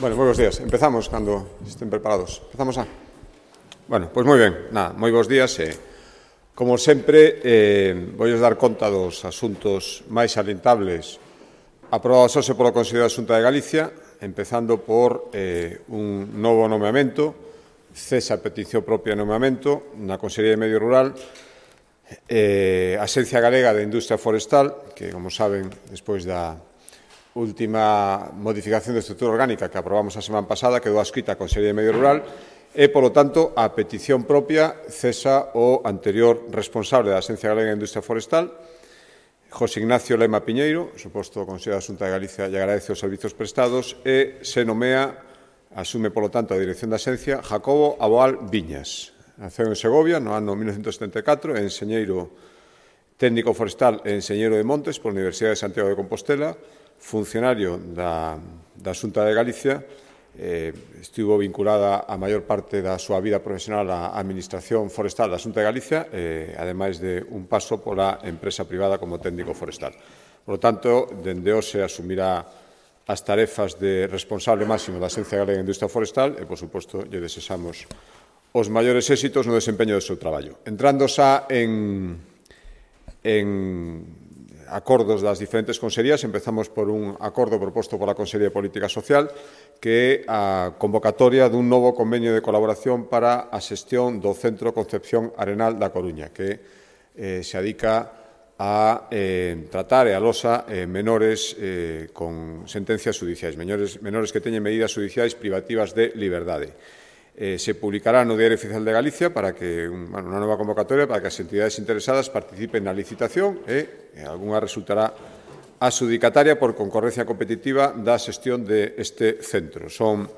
Bueno, moi bons días. Empezamos cando estén preparados. Empezamos a... Bueno, pois moi ben. Nada, moi bons días. Como sempre, voulles dar conta dos asuntos máis salientables aprobados hoxe polo Consello da Xunta de Galicia, empezando por un novo nomeamento, cesa a petición propia de nomeamento na Consellería de Medio Rural, a Axencia Galega de Industria Forestal, que, como saben, despois da última modificación de estrutura orgánica que aprobamos a semana pasada, quedou adscrita a Consellería de Medio Rural e, polo tanto, a petición propia cesa o anterior responsable da Axencia Galega de Industria Forestal, José Ignacio Lema Piñeiro, suposto Consello da Xunta de Galicia, lle agradece os servizos prestados e se nomea, asume, polo tanto, a dirección da Axencia, Jacobo Aboal Viñas. Naceu en Segovia no ano 1974, é enxeñeiro técnico forestal e enxeñeiro de montes pola Universidade de Santiago de Compostela, funcionario da Xunta de Galicia, estivo vinculada a maior parte da súa vida profesional á Administración Forestal da Xunta de Galicia, ademais de un paso pola empresa privada como técnico forestal. Por lo tanto, dende hoxe asumirá as tarefas de responsable máximo da Axencia Galega de Industria Forestal e, por suposto, lle desexamos os maiores éxitos no desempeño do seu traballo. Entrando xa en acordos das diferentes consellerías, empezamos por un acordo proposto pola Consellería de Política Social, que é a convocatoria dun novo convenio de colaboración para a xestión do Centro Concepción Arenal da Coruña, que se adica a tratar e alosa menores con sentencias judiciais, menores que teñen medidas judiciais privativas de liberdade. Se publicará no Diario Oficial de Galicia para que unha nova convocatoria para que as entidades interesadas participen na licitación e algunha resultará adxudicataria por concorrencia competitiva da xestión deste centro. Son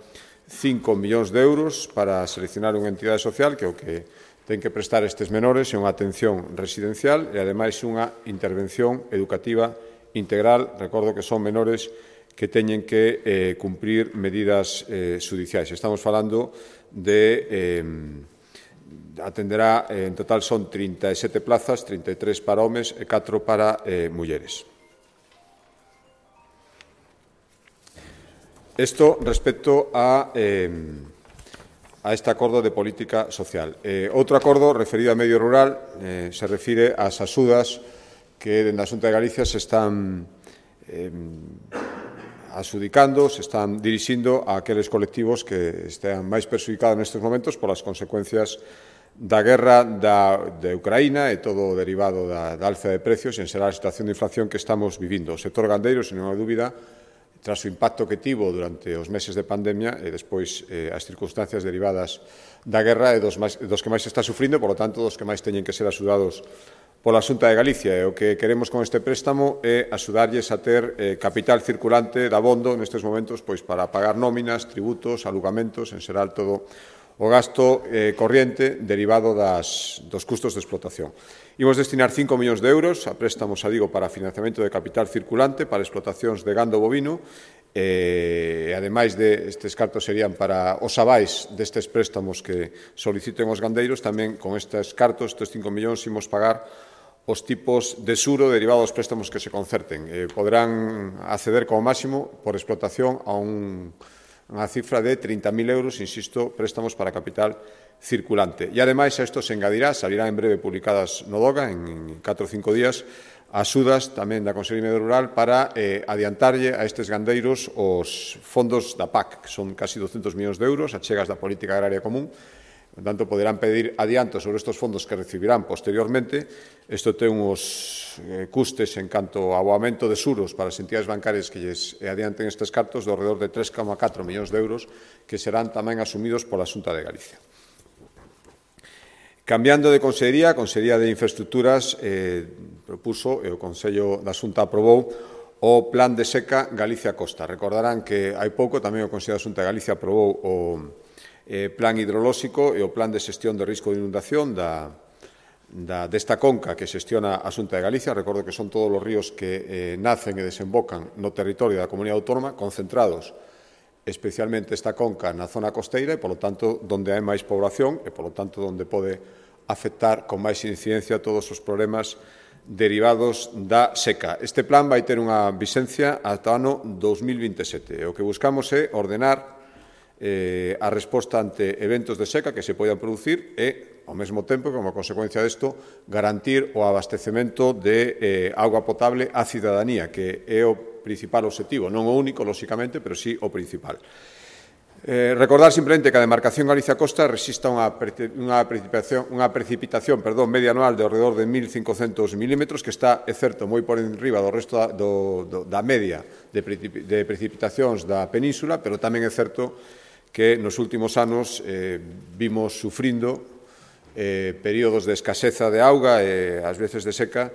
5 millóns de euros para seleccionar unha entidade social que o que ten que prestar estes menores é unha atención residencial e, ademais, unha intervención educativa integral. Recordo que son menores que teñen que cumprir medidas judiciais. Estamos falando de atenderá, en total son 37 plazas, 33 para homes e 4 para mulleres. Isto respecto a este acordo de política social. Outro acordo referido a medio rural se refire ás axudas que dende a Xunta de Galicia se están adxudicando, se están dirixindo a aqueles colectivos que están máis perxudicados nestes momentos polas consecuencias da guerra de Ucraína e todo o derivado da alza de precios e en xeral a situación de inflación que estamos vivindo. O sector gandeiro, sen ninguna dúbida, tras o impacto que tivo durante os meses de pandemia e despois as circunstancias derivadas da guerra e dos que máis está sufrindo, por lo tanto, dos que máis teñen que ser axudados pola Xunta de Galicia, e o que queremos con este préstamo é axudarlles a ter capital circulante de abondo nestes momentos pois para pagar nóminas, tributos, alugamentos, en xeral todo o gasto corriente derivado dos custos de explotación. Imos destinar 5 millóns de euros a préstamos, para financiamento de capital circulante para explotacións de gando bovino e, ademais estes cartos serían para os avais destes préstamos que soliciten os gandeiros, tamén con estes cartos, estes 5 millóns, imos pagar os tipos de suro derivados dos préstamos que se concerten. Poderán acceder como máximo por explotación a unha cifra de 30.000 euros, insisto, préstamos para capital circulante. E, ademais, a isto se engadirá, salirá en breve publicadas no DOGA, en 4 ou 5 días, axudas tamén da Consellería de Medio Rural para adiantarlle a estes gandeiros os fondos da PAC, que son casi 200 millóns de euros, achegas da Política Agraria Común. Por tanto, poderán pedir adiantos sobre estes fondos que recibirán posteriormente. Isto ten uns custes en canto ao aumento de suros para as entidades bancarias que lles adianten estes cartos de alrededor de 3,4 millóns de euros que serán tamén asumidos pola Xunta de Galicia. Cambiando de consellería, a Consellería de Infraestructuras propuso e o Consello da Xunta aprobou o Plan de Seca Galicia Costa. Recordarán que hai pouco tamén o Consello da Xunta de Galicia aprobou o Plan hidrolóxico e o Plan de xestión de risco de inundación desta conca que xestiona a Xunta de Galicia. Recordo que son todos os ríos que nacen e desembocan no territorio da Comunidade Autónoma, concentrados especialmente esta conca na zona costeira e, polo tanto, donde hai máis población e, polo tanto, donde pode afectar con máis incidencia todos os problemas derivados da seca. Este plan vai ter unha vixencia ata o ano 2027. O que buscamos é ordenar a resposta ante eventos de seca que se poidan producir e, ao mesmo tempo, como consecuencia desto, garantir o abastecemento de auga potable á cidadanía, que é o principal objetivo, non o único, lóxicamente, pero sí o principal. Recordar simplemente que a demarcación Galicia-Costa resista unha precipitación media anual de alrededor de 1.500 milímetros, que está, é certo, moi por enriba do resto da media de precipitacións da península, pero tamén é certo que nos últimos anos vimos sufrindo períodos de escaseza de auga e ás veces de seca,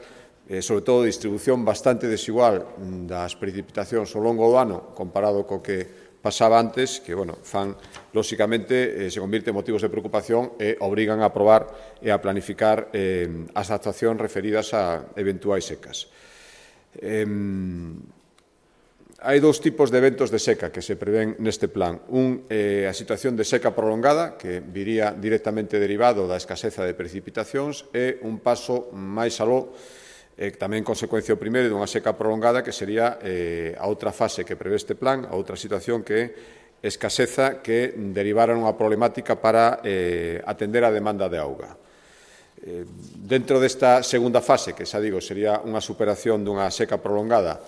sobre todo distribución bastante desigual das precipitacións ao longo do ano comparado co que pasaba antes, que, fan, lóxicamente, se convirte en motivos de preocupación e obrigan a aprobar e a planificar as actuacións referidas a eventuais secas. Hai dous tipos de eventos de seca que se prevén neste plan. Un é a situación de seca prolongada, que viría directamente derivado da escaseza de precipitacións, e un paso máis aló, tamén consecuencia o primeiro dunha seca prolongada, que sería a outra fase que prevé este plan, a outra situación que é escaseza que derivara unha problemática para atender a demanda de auga. Dentro desta segunda fase, que xa digo, sería unha superación dunha seca prolongada,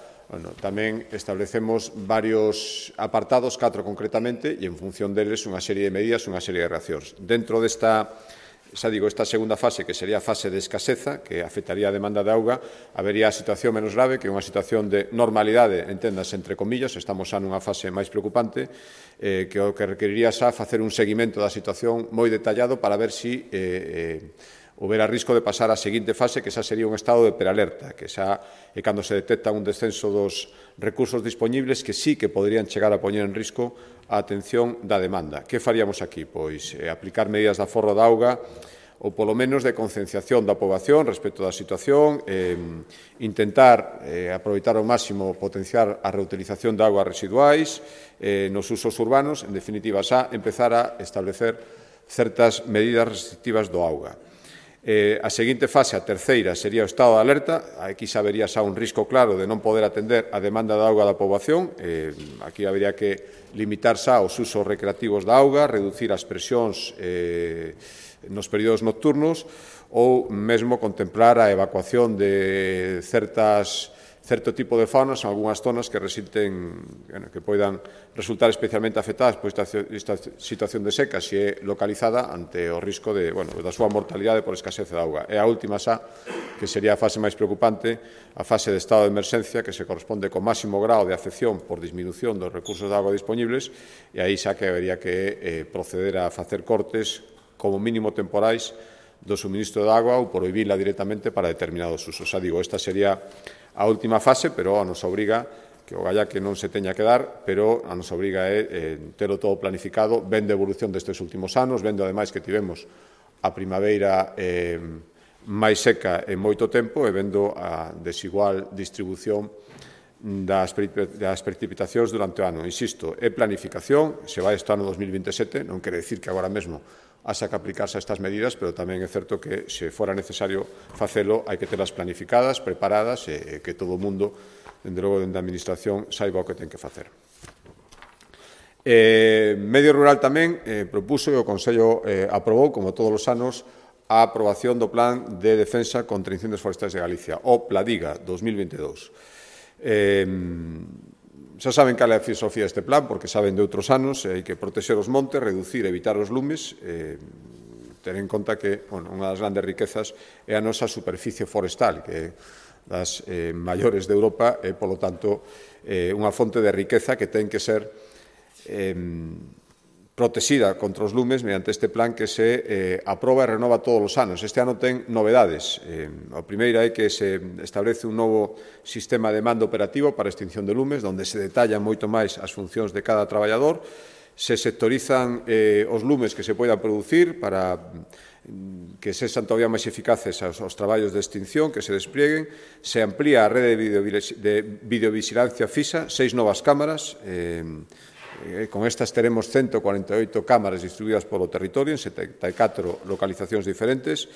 tamén establecemos varios apartados, 4 concretamente, e en función deles unha serie de medidas, unha serie de reaccións. Dentro desta esta segunda fase, que sería a fase de escaseza, que afectaría a demanda de auga, habería a situación menos grave, que é unha situación de normalidade, enténdase entre comillas, estamos xa nunha fase máis preocupante, que o que requeriría xa facer un seguimento da situación moi detallado para ver se houbera risco de pasar á seguinte fase, que xa sería un estado de prealerta, que xa é cando se detecta un descenso dos recursos disponibles que sí que poderían chegar a poñer en risco a atención da demanda. Que faríamos aquí? Pois aplicar medidas de aforro da auga ou polo menos de concienciación da poboación respecto da situación, intentar aproveitar ao máximo potenciar a reutilización de augas residuais nos usos urbanos, en definitiva, xa empezar a establecer certas medidas restrictivas do auga. A seguinte fase, a terceira, sería o estado de alerta. Aquí xa vería xa un risco claro de non poder atender a demanda de auga da poboación. Aquí habería que limitar xa os usos recreativos da auga, reducir as presións nos períodos nocturnos ou mesmo contemplar a evacuación de certo tipo de faunas en algunhas zonas que que poidan resultar especialmente afectadas por esta situación de seca, se é localizada ante o risco da súa mortalidade por escasez de auga. E a última xa, que sería a fase máis preocupante, a fase de estado de emerxencia, que se corresponde co máximo grao de afección por disminución dos recursos de auga disponibles, e aí xa que habería que proceder a facer cortes, como mínimo temporais, do suministro de auga ou prohibirla directamente para determinados usos. Xa digo, esta sería a última fase, pero a nos obriga, que o galla que non se teña que dar, pero a nos obriga telo todo planificado, vendo a evolución destes últimos anos, vendo ademais que tivemos a primaveira máis seca en moito tempo e vendo a desigual distribución das precipitacións durante o ano. Insisto, é planificación, se vai este ano 2027, non quere dicir que agora mesmo haxa que aplicarse a estas medidas, pero tamén é certo que, se fora necesario facelo, hai que telas planificadas, preparadas, e que todo o mundo, dende logo, dende a Administración, saiba o que ten que facer. Medio Rural tamén propuso e o Consello aprobou, como todos os anos, a aprobación do Plan de Defensa contra Incendios Forestais de Galicia, o PLADIGA 2022. Xa saben cal é a filosofía deste plan, porque saben de outros anos, hai que protexer os montes, reducir e evitar os lumes, ter en conta que unha das grandes riquezas é a nosa superficie forestal, que é das maiores de Europa e, polo tanto, unha fonte de riqueza que ten que ser protexida contra os lumes mediante este plan que se aproba e renova todos os anos. Este ano ten novedades. A primeira é que se establece un novo sistema de mando operativo para a extinción de lumes, onde se detallan moito máis as funcións de cada traballador, se sectorizan os lumes que se poidan producir para que sexan todavía máis eficaces os traballos de extinción que se desplieguen, se amplía a rede de videovigilancia fisa, 6 novas cámaras, con estas teremos 148 cámaras distribuídas polo territorio en 74 localizacións diferentes.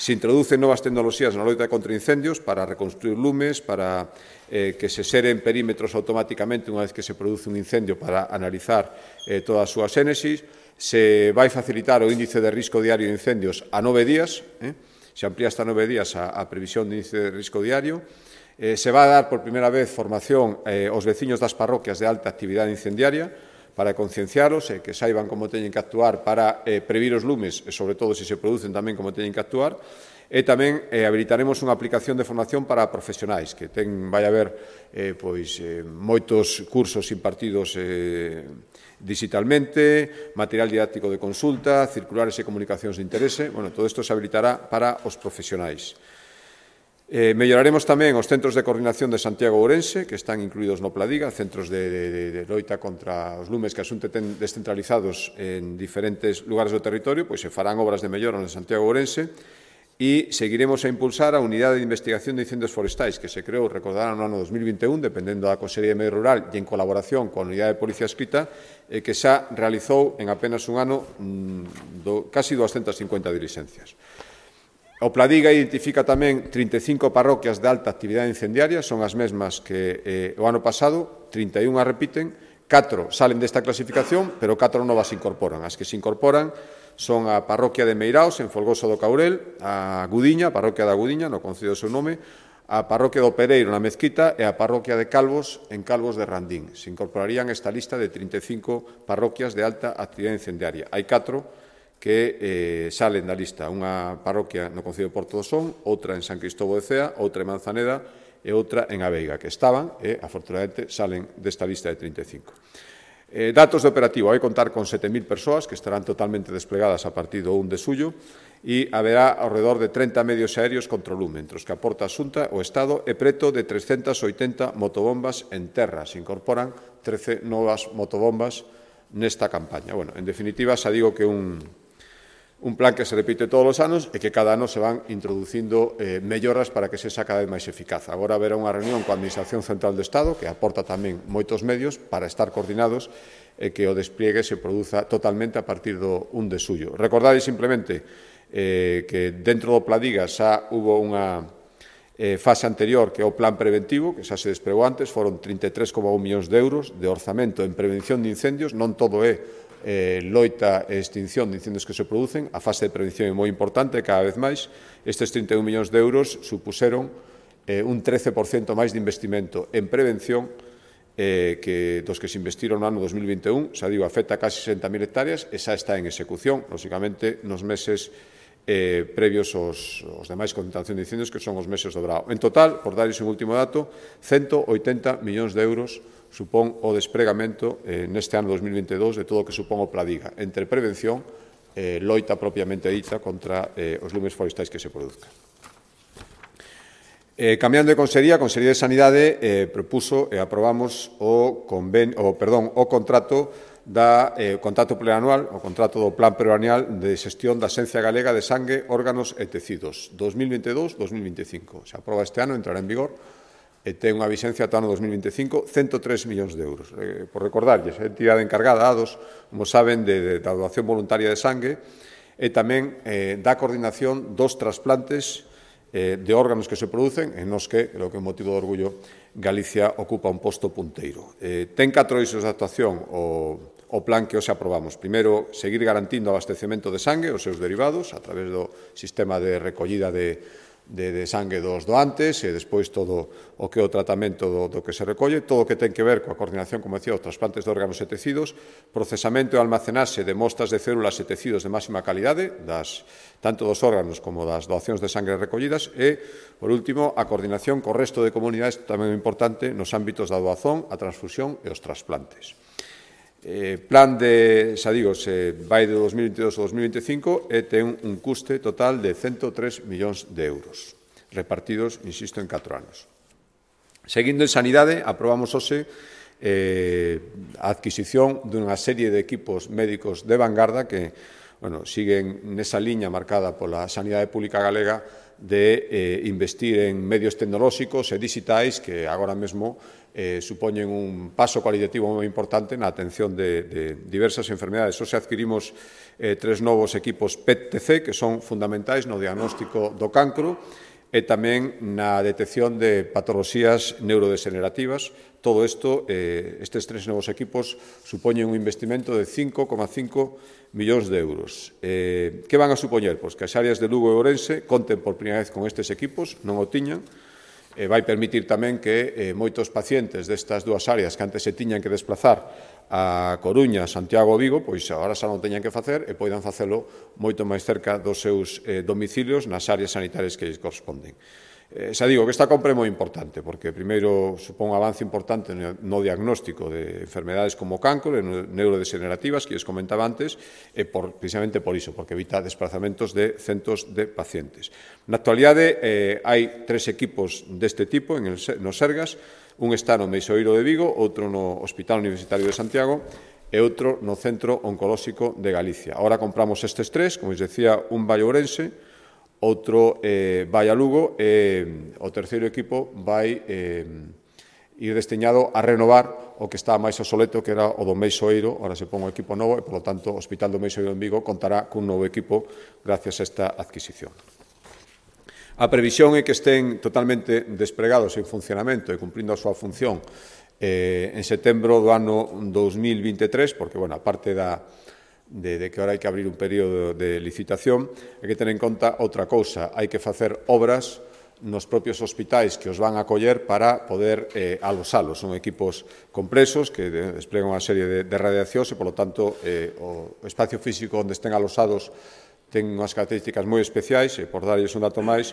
Se introducen novas tecnoloxías na loita contra incendios para reconstruir lumes, para que se seren perímetros automáticamente unha vez que se produce un incendio para analizar toda a súa xénesis. Se vai facilitar o índice de risco diario de incendios a 9 días, se amplía hasta 9 días a previsión de índice de risco diario. Se vai dar por primeira vez formación aos veciños das parroquias de alta actividade incendiaria para concienciaros e que saiban como teñen que actuar para previr os lumes e, sobre todo, se se producen tamén como teñen que actuar. E tamén habilitaremos unha aplicación de formación para profesionais, que vai haber moitos cursos impartidos digitalmente, material didáctico de consulta, circulares e comunicacións de interese. Bueno, todo isto se habilitará para os profesionais. Melloraremos tamén os centros de coordinación de Santiago e Ourense, que están incluídos no Pladiga, centros de loita contra os lumes que asunte ten descentralizados en diferentes lugares do territorio, pois se farán obras de mellora en Santiago e Ourense. E seguiremos a impulsar a Unidade de Investigación de Incendios Forestais, que se creou, recordarán, no ano 2021, dependendo da Consellería de Medio Rural e en colaboración con a Unidade de Policía Escrita, que xa realizou en apenas un ano casi 250 diligencias. O Pladiga identifica tamén 35 parroquias de alta actividade incendiaria, son as mesmas que o ano pasado, 31 a repiten, 4 salen desta clasificación, pero 4 novas se incorporan. As que se incorporan son a parroquia de Meiraos, en Folgoso do Caurel, a Gudiña, a parroquia da Gudiña, no concello do seu nome, a parroquia do Pereiro, na Mezquita, e a parroquia de Calvos, en Calvos de Randín. Se incorporarían esta lista de 35 parroquias de alta actividade incendiaria. Hai 4 que salen da lista, unha parroquia no concello de Porto do Son, outra en San Cristóbal de Cea, outra en Manzaneda e outra en Aveiga, que estaban e, afortunadamente, salen desta lista de 35. Datos de operativo, vai contar con 7.000 persoas que estarán totalmente desplegadas a partir do 1 de xullo e haberá ao redor de 30 medios aéreos contra o lume, entre os que aporta a Xunta, o Estado e preto de 380 motobombas en terra. Se incorporan 13 novas motobombas nesta campaña. Bueno, en definitiva, xa digo que un plan que se repite todos os anos e que cada ano se van introducindo melloras para que sexa cada vez máis eficaz. Agora haberá unha reunión coa Administración Central do Estado, que aporta tamén moitos medios para estar coordinados e que o despliegue se produza totalmente a partir do 1 de xullo. Recordade simplemente que dentro do Pladiga xa hubo unha fase anterior, que é o plan preventivo, que xa se desplegou antes, foron 33,1 millóns de euros de orzamento en prevención de incendios. Non todo é loita e extinción de incendios que se producen, a fase de prevención é moi importante cada vez máis. Estes 31 millóns de euros supuseron un 13% máis de investimento en prevención que dos que se investiron no ano 2021, xa digo, afecta a casi 60.000 hectáreas e xa está en execución, lógicamente, nos meses previos aos demais concentración de incendios, que son os meses do verao. En total, por darles un último dato, 180 millóns de euros supón o despregamento neste ano 2022 de todo o que supón o Pladiga, entre prevención e loita propiamente dita contra os lumes forestais que se produzcan. Cambiando de consellería, a Consellería de Sanidade propuso e aprobamos o contrato plurianual, o contrato do Plan Plurianual de Xestión da Xencia Galega de Sangue, Órganos e Tecidos 2022-2025. Se aproba este ano, entrará en vigor e ten unha vixencia ata o ano 2025, 103 millóns de euros. Por recordarlles, a entidade encargada, ADOS, como saben, da donación voluntaria de sangue e tamén da coordinación dos trasplantes de órganos que se producen, en nos que, creo que é motivo de orgullo, Galicia ocupa un posto punteiro. Ten 4 eixos de actuación o plan que hoxe aprobamos. Primeiro, seguir garantindo o abastecemento de sangue, os seus derivados, a través do sistema de recollida de sangue dos doantes e despois todo o que é o tratamento do que se recolle, todo o que ten que ver coa coordinación, como decía, os trasplantes de órganos e tecidos, procesamento e almacenaxe de mostras de células e tecidos de máxima calidade, tanto dos órganos como das doacións de sangre recollidas e, por último, a coordinación co resto de comunidades, tamén importante, nos ámbitos da doazón, a transfusión e os trasplantes. Plan de, xa digo, se vai de 2022 ao 2025 e ten un custe total de 103 millóns de euros, repartidos, insisto, en 4 anos. Seguindo en sanidade, aprobamos hoxe a adquisición dunha serie de equipos médicos de vanguarda que siguen nesa liña marcada pola sanidade pública galega de investir en medios tecnolóxicos e digitais que agora mesmo supoñen un paso cualitativo moi importante na atención de diversas enfermedades. Hoxe adquirimos 3 novos equipos PET-TC que son fundamentais no diagnóstico do cancro e tamén na detección de patoloxías neurodegenerativas. Todo isto, estes 3 novos equipos, supoñen un investimento de 5,5 millóns de euros. Que van a supoñer? Pois que as áreas de Lugo e Ourense conten por primeira vez con estes equipos, non o tiñan, vai permitir tamén que moitos pacientes destas dúas áreas que antes se tiñan que desplazar a Coruña, Santiago ou Vigo, pois agora xa non teñan que facer e poidan facelo moito máis cerca dos seus domicilios nas áreas sanitarias que lles corresponden. Xa digo que esta compra é moi importante, porque primeiro supón un avance importante no diagnóstico de enfermedades como o cancro e neurodegenerativas, que lles comentaba antes, e precisamente por iso, porque evita desplazamentos de centos de pacientes. Na actualidade hai 3 equipos deste tipo nos Sergas, un está no Meixoeiro de Vigo, outro no Hospital Universitario de Santiago e outro no Centro Oncolóxico de Galicia. Ahora compramos estes 3, como os decía, un vai a Ourense, outro vai a Lugo e o terceiro equipo vai ir destiñado a renovar o que está máis obsoleto, que era o do Meixoeiro. Ahora se pon un equipo novo e, polo tanto, o Hospital do Meixoeiro en Vigo contará cun novo equipo gracias a esta adquisición. A previsión é que estén totalmente despregados en funcionamento e cumprindo a súa función en setembro do ano 2023, porque, bueno, aparte de que ahora hai que abrir un período de licitación, hai que ter en conta outra cousa, hai que facer obras nos propios hospitais que os van a acoller para poder alosalos. Son equipos compresos que desplegan unha serie de radiacións e, polo tanto, o espacio físico onde estén alosados ten unhas características moi especiais e, por darlles un dato máis,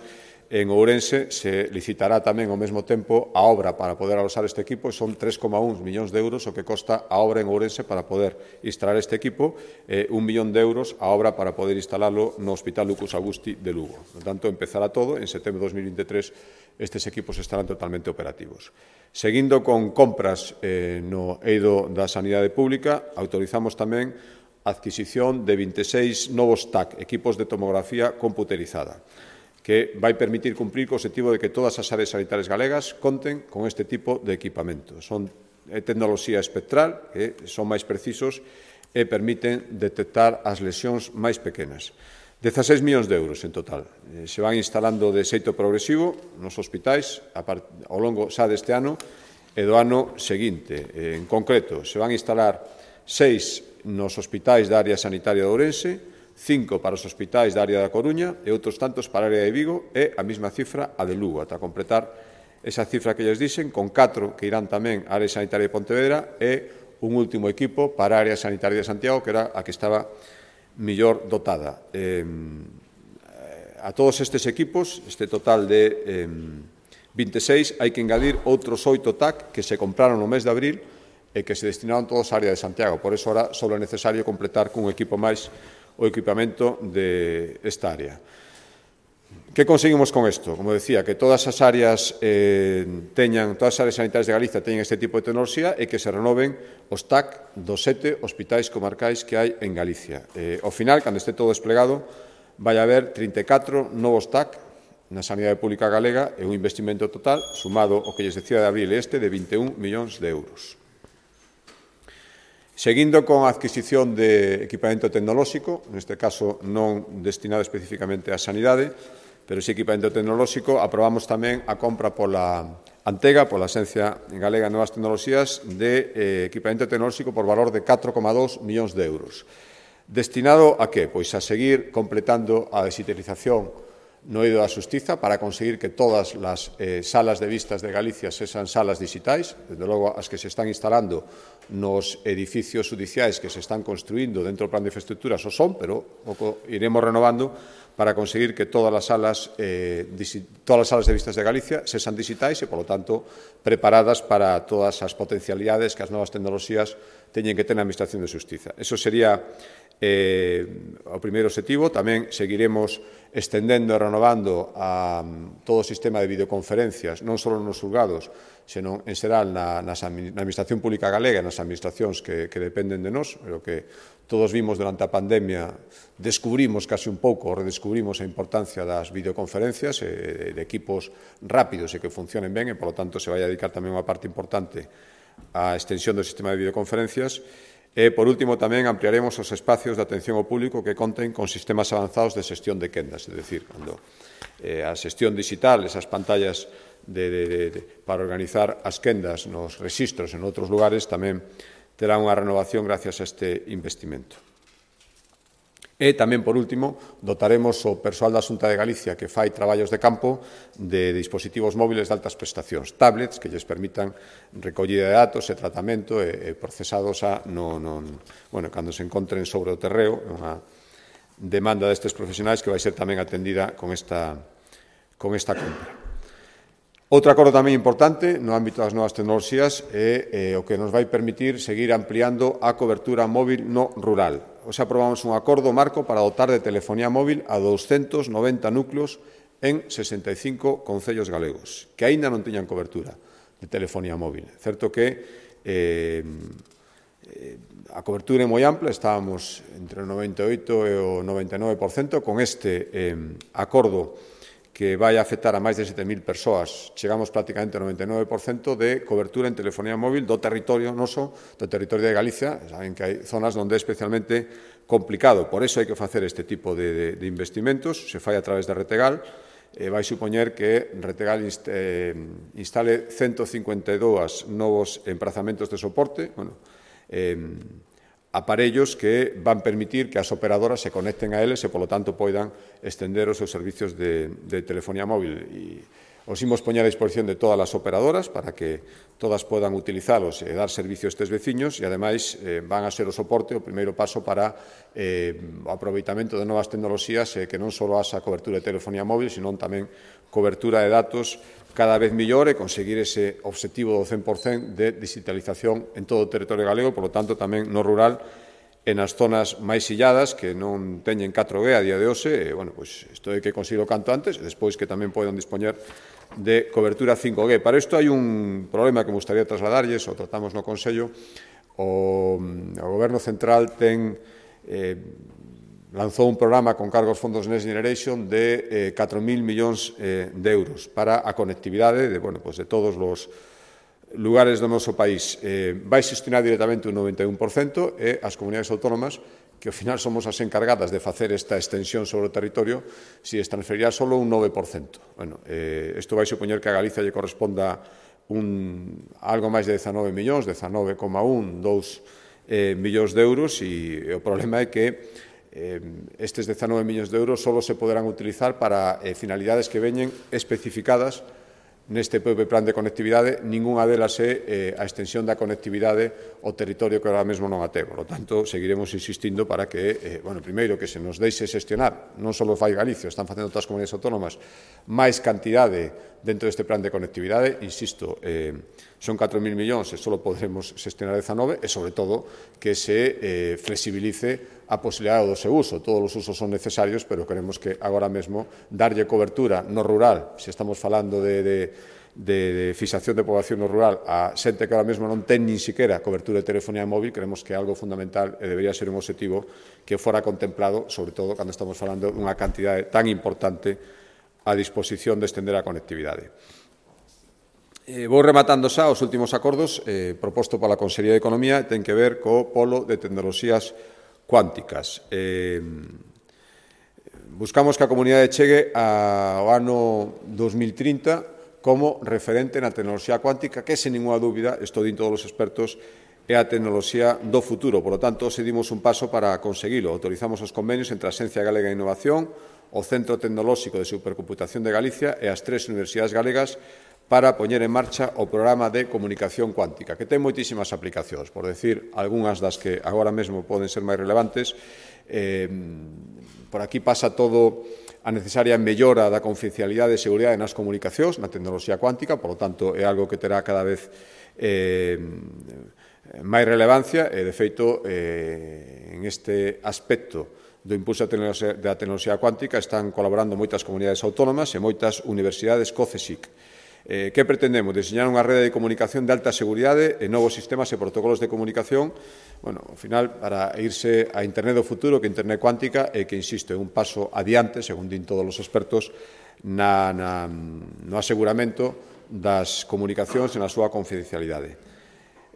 en Ourense se licitará tamén ao mesmo tempo a obra para poder alosar este equipo e son 3,1 millóns de euros o que costa a obra en Ourense para poder instalar este equipo e 1 millón de euros a obra para poder instalalo no Hospital Lucus Augusti de Lugo. Por tanto, empezará todo, en setembro de 2023 estes equipos estarán totalmente operativos. Seguindo con compras no eido da Sanidade Pública, autorizamos tamén a adquisición de 26 novos TAC, equipos de tomografía computerizada, que vai permitir cumprir co objetivo de que todas as áreas sanitarias galegas conten con este tipo de equipamento. Son tecnoloxía espectral, que son máis precisos e permiten detectar as lesións máis pequenas. 16 millóns de euros en total. Se van instalando de xeito progresivo nos hospitais ao longo xa deste ano e do ano seguinte. En concreto, se van instalar 6 nos hospitais da área sanitaria de Ourense, 5 para os hospitais da área da Coruña e outros tantos para a área de Vigo e a mesma cifra a de Lugo, ata completar esa cifra que lles dixen, con 4 que irán tamén á área sanitaria de Pontevedra e un último equipo para a área sanitaria de Santiago, que era a que estaba mellor dotada. A todos estes equipos, este total de 26, hai que engadir outros 8 TAC que se compraron no mes de abril e que se destinaron todos á área de Santiago. Por eso, ahora, só é necesario completar cun equipo máis o equipamento de esta área. Que conseguimos con isto? Como decía, que todas as áreas todas as áreas sanitarias de Galicia teñen este tipo de tecnoloxía e que se renoven os TAC dos 7 hospitais comarcais que hai en Galicia. Ao final, cando este todo desplegado, vai haber 34 novos TAC na sanidade pública galega e un investimento total, sumado ao que lles decía de abril este, de 21 millóns de euros. Seguindo con a adquisición de equipamento tecnolóxico, neste caso non destinado especificamente á sanidade, pero si equipamento tecnolóxico, aprobamos tamén a compra pola Antega, pola Axencia Galega de Novas Tecnoloxías, de equipamento tecnolóxico por valor de 4,2 millóns de euros. Destinado a que? Pois a seguir completando a digitalización no eido da Xustiza para conseguir que todas as salas de vistas de Galicia sexan salas digitais, desde logo as que se están instalando nos edificios judiciais que se están construindo dentro do plan de infraestructuras o son, pero pouco iremos renovando para conseguir que todas as salas de vistas de Galicia sexan digitais e, polo tanto, preparadas para todas as potencialidades que as novas tecnoloxías teñen que ter na Administración de Xustiza. Eso sería o primeiro obxectivo. Tamén seguiremos estendendo e renovando a todo o sistema de videoconferencias, non só nos xulgados, senón en xeral na Administración Pública Galega e nas administracións que dependen de nós, pero que todos vimos durante a pandemia, descubrimos casi un pouco, redescubrimos a importancia das videoconferencias e de equipos rápidos e que funcionen ben, e, polo tanto, se vai a dedicar tamén unha parte importante á extensión do sistema de videoconferencias. E, por último, tamén ampliaremos os espacios de atención ao público que conten con sistemas avanzados de xestión de quendas, é dicir, cando a xestión digital, esas pantallas para organizar as quendas nos rexistros en outros lugares, tamén terá unha renovación gracias a este investimento. E tamén, por último, dotaremos o persoal da Xunta de Galicia que fai traballos de campo de dispositivos móviles de altas prestacións, tablets que lles permitan recollida de datos e tratamento e procesados cando se encontren sobre o terreo, unha demanda destes profesionais que vai ser tamén atendida con esta compra. Outro acordo tamén importante no ámbito das novas tecnoloxías é o que nos vai permitir seguir ampliando a cobertura móvil no rural. Hoxe aprobamos un acordo marco para dotar de telefonía móvil a 290 núcleos en 65 concellos galegos, que aínda non tiñan cobertura de telefonía móvil. Certo que a cobertura é moi ampla, estábamos entre o 98% e o 99%, con este acordo que vai a afectar a máis de 7.000 persoas. Chegamos prácticamente ao 99% de cobertura en telefonía móvil do territorio noso, do territorio de Galicia. Saben que hai zonas onde é especialmente complicado. Por iso hai que facer este tipo de investimentos. Se fai a través de Retegal. Vai supoñer que Retegal instale 152 novos emprazamentos de soporte, aparellos que van permitir que as operadoras se conecten a eles e, polo tanto, poidan estender os seus servicios de telefonía móvil. E os imos poñer a disposición de todas as operadoras para que todas podan utilizalos e dar servicio a estes veciños e, ademais, van a ser o soporte, o primeiro paso para o aproveitamento de novas tecnoloxías que non só haxa cobertura de telefonía móvil, senón tamén cobertura de datos cada vez mellor e conseguir ese obxectivo do 100% de digitalización en todo o territorio galego, por lo tanto, tamén no rural e nas zonas máis illadas que non teñen 4G a día de hoxe, isto é que consigo canto antes, e despois que tamén poden dispoñer de cobertura 5G. Para isto hai un problema que me gustaría trasladarlles, o tratamos no Consello. O Goberno Central lanzou un programa con cargo aos fondos Next Generation de 4.000 millóns de euros para a conectividade de todos os lugares do noso país. Vai xestionar directamente un 91% e as comunidades autónomas, que ao final somos as encargadas de facer esta extensión sobre o territorio, si es transferirá solo un 9%. Isto vai supoñer que a Galicia lle corresponda algo máis de 19 millóns, 19,1, 2 millóns de euros, e o problema é que estes 19 millóns de euros só se poderán utilizar para finalidades que veñen especificadas neste propio plan de conectividade. Ningunha delas é a extensión da conectividade ao territorio que ahora mesmo non a ten. Por lo tanto, seguiremos insistindo para que, primeiro, que se nos deixe xestionar, non só fai Galicia, están facendo outras comunidades autónomas, máis cantidade dentro deste plan de conectividade. Insisto, son 4.000 millóns e só podremos xestionar 19, e, sobre todo, que se flexibilice a posibilidade do seu uso. Todos os usos son necesarios, pero queremos que agora mesmo darlle cobertura no rural, se estamos falando de fixación de población no rural, a xente que ahora mesmo non ten nin siquiera cobertura de telefonía móvil, creemos que é algo fundamental e debería ser un objetivo que fora contemplado, sobre todo cando estamos falando dunha cantidade tan importante a disposición de estender a conectividade. Vou rematando xa os últimos acordos proposto pola Consellería de Economía, ten que ver co polo de tecnoloxías cuánticas. Buscamos que a comunidade chegue ao ano 2030 como referente na tecnoloxía cuántica, que, sen ninguna dúbida, isto din todos os expertos, é a tecnoloxía do futuro. Por lo tanto, se dimos un paso para conseguilo. Autorizamos os convenios entre a Axencia Galega de Innovación, o Centro Tecnolóxico de Supercomputación de Galicia e as 3 universidades galegas para poñer en marcha o programa de comunicación cuántica, que ten moitísimas aplicacións, por decir algunhas das que agora mesmo poden ser máis relevantes. Por aquí pasa todo a necesaria mellora da confidencialidade e seguridade nas comunicacións, na tecnoloxía cuántica, por lo tanto, é algo que terá cada vez máis relevancia e, de feito, en este aspecto do impulso da tecnoloxía cuántica están colaborando moitas comunidades autónomas e moitas universidades co CSIC. Que pretendemos? Diseñar unha rede de comunicación de alta seguridade e novos sistemas e protocolos de comunicación, ao final, para irse a Internet do futuro, que Internet cuántica é que, insisto, é un paso adiante, según din todos os expertos, no aseguramento das comunicacións e na súa confidencialidade.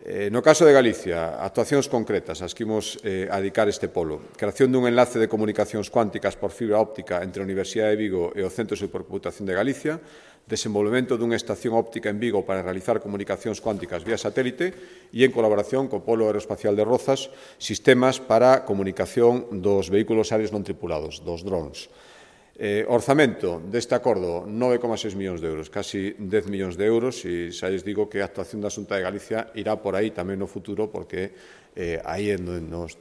No caso de Galicia, actuacións concretas as que imos adicar este polo. Creación dun enlace de comunicacións cuánticas por fibra óptica entre a Universidade de Vigo e o Centro de Supercomputación de Galicia, desenvolvemento dunha estación óptica en Vigo para realizar comunicacións cuánticas vía satélite e, en colaboración co Polo Aeroespacial de Rozas, sistemas para comunicación dos vehículos aéreos non tripulados, dos drones. Orzamento deste acordo, 9,6 millóns de euros, casi 10 millóns de euros, e xa lles digo que a actuación da Xunta de Galicia irá por aí tamén no futuro, porque aí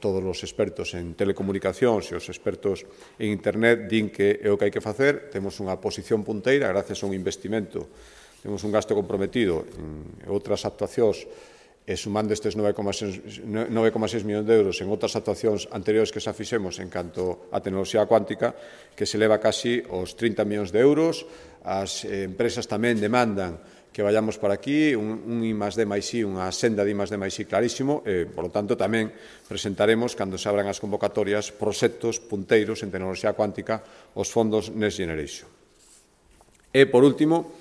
todos os expertos en telecomunicacións e os expertos en Internet din que é o que hai que facer. Temos unha posición punteira gracias a un investimento, temos un gasto comprometido en outras actuacións, e sumando estes 9,6 millóns de euros en outras actuacións anteriores que xa fixemos en canto a tecnoloxía cuántica, que se leva casi os 30 millóns de euros. As empresas tamén demandan que vayamos por aquí, un I+D+I, unha senda de I+D+I clarísimo, e, por lo tanto, tamén presentaremos, cando se abran as convocatorias, proxectos punteiros en tecnoloxía cuántica, os fondos Next Generation. E, por último,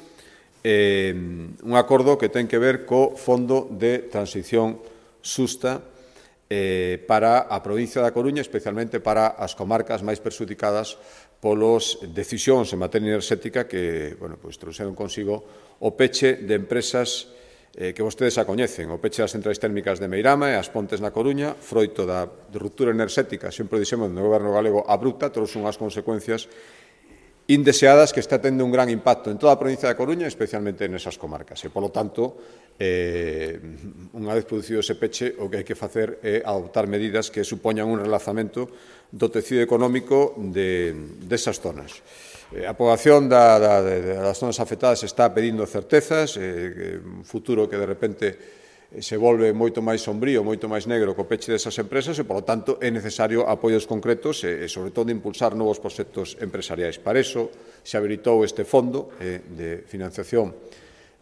un acordo que ten que ver co Fondo de Transición Xusta para a provincia da Coruña, especialmente para as comarcas máis perxudicadas polas decisións en materia enerxética que trouxeron consigo o peche de empresas que vostedes a coñecen, o peche das centrais térmicas de Meirama e as Pontes na Coruña, froito da ruptura enerxética, sempre dixemos no goberno galego, abrupta, trouxe unhas consecuencias indeseadas que está tendo un gran impacto en toda a provincia da Coruña, especialmente nesas comarcas. E, polo tanto, unha vez producido ese peche, o que hai que facer é adoptar medidas que supoñan un relanzamento do tecido económico desas zonas. A poboación das zonas afectadas está pedindo certezas, un futuro que, de repente, se volve moito máis sombrío, moito máis negro co peche desas empresas e, polo tanto, é necesario apoios concretos e, sobre todo, impulsar novos proxectos empresariais. Para iso, se habilitou este fondo de financiación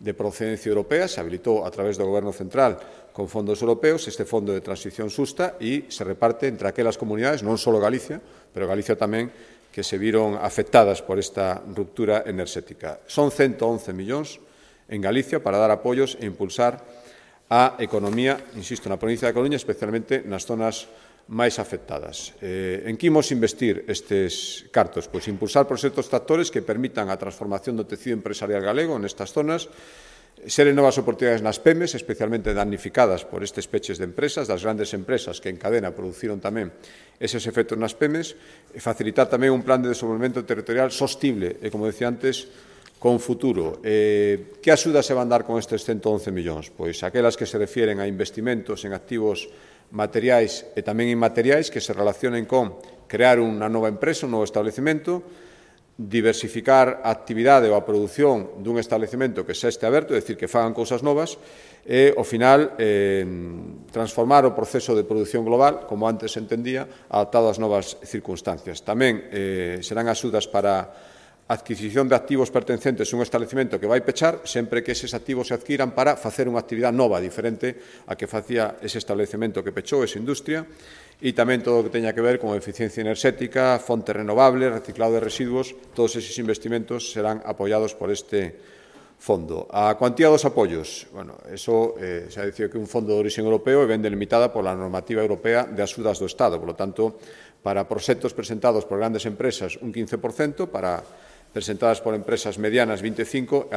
de procedencia europea, se habilitou a través do Goberno Central con fondos europeos, este fondo de transición xusta, e se reparte entre aquelas comunidades, non só Galicia, pero Galicia tamén, que se viron afectadas por esta ruptura enerxética. Son 111 millóns en Galicia para dar apoios e impulsar a economía, insisto, na provincia da Coruña, especialmente nas zonas máis afectadas. En que imos investir estes cartos? Pois impulsar proxectos tractores que permitan a transformación do tecido empresarial galego nestas zonas, xeren novas oportunidades nas PEMES, especialmente damnificadas por estes peches de empresas, das grandes empresas que en cadena produciron tamén eses efectos nas PEMES, e facilitar tamén un plan de desenvolvemento territorial sostible e, como decía antes, con futuro. Que axudas se van dar con estes 111 millóns? Pois aquelas que se refieren a investimentos en activos materiais e tamén inmateriais que se relacionen con crear unha nova empresa, un novo establecemento, diversificar a actividade ou a produción dun establecemento que xa este aberto, é dicir, que fagan cousas novas, e, ao final, transformar o proceso de produción global, como antes se entendía, adaptado ás novas circunstancias. Tamén serán axudas para adquisición de activos pertencentes a un establecemento que vai pechar, sempre que eses activos se adquiran para facer unha actividade nova, diferente a que facía ese establecemento que pechou, esa industria, e tamén todo o que teña que ver con eficiencia enerxética, fontes renovables, reciclado de residuos, todos eses investimentos serán apoiados por este fondo. A cuantía dos apoios, eso xa dicía que un fondo de origen europeo e ben delimitada pola normativa europea de axudas do Estado, por lo tanto, para proxectos presentados por grandes empresas un 15%, para presentadas por empresas medianas 25% e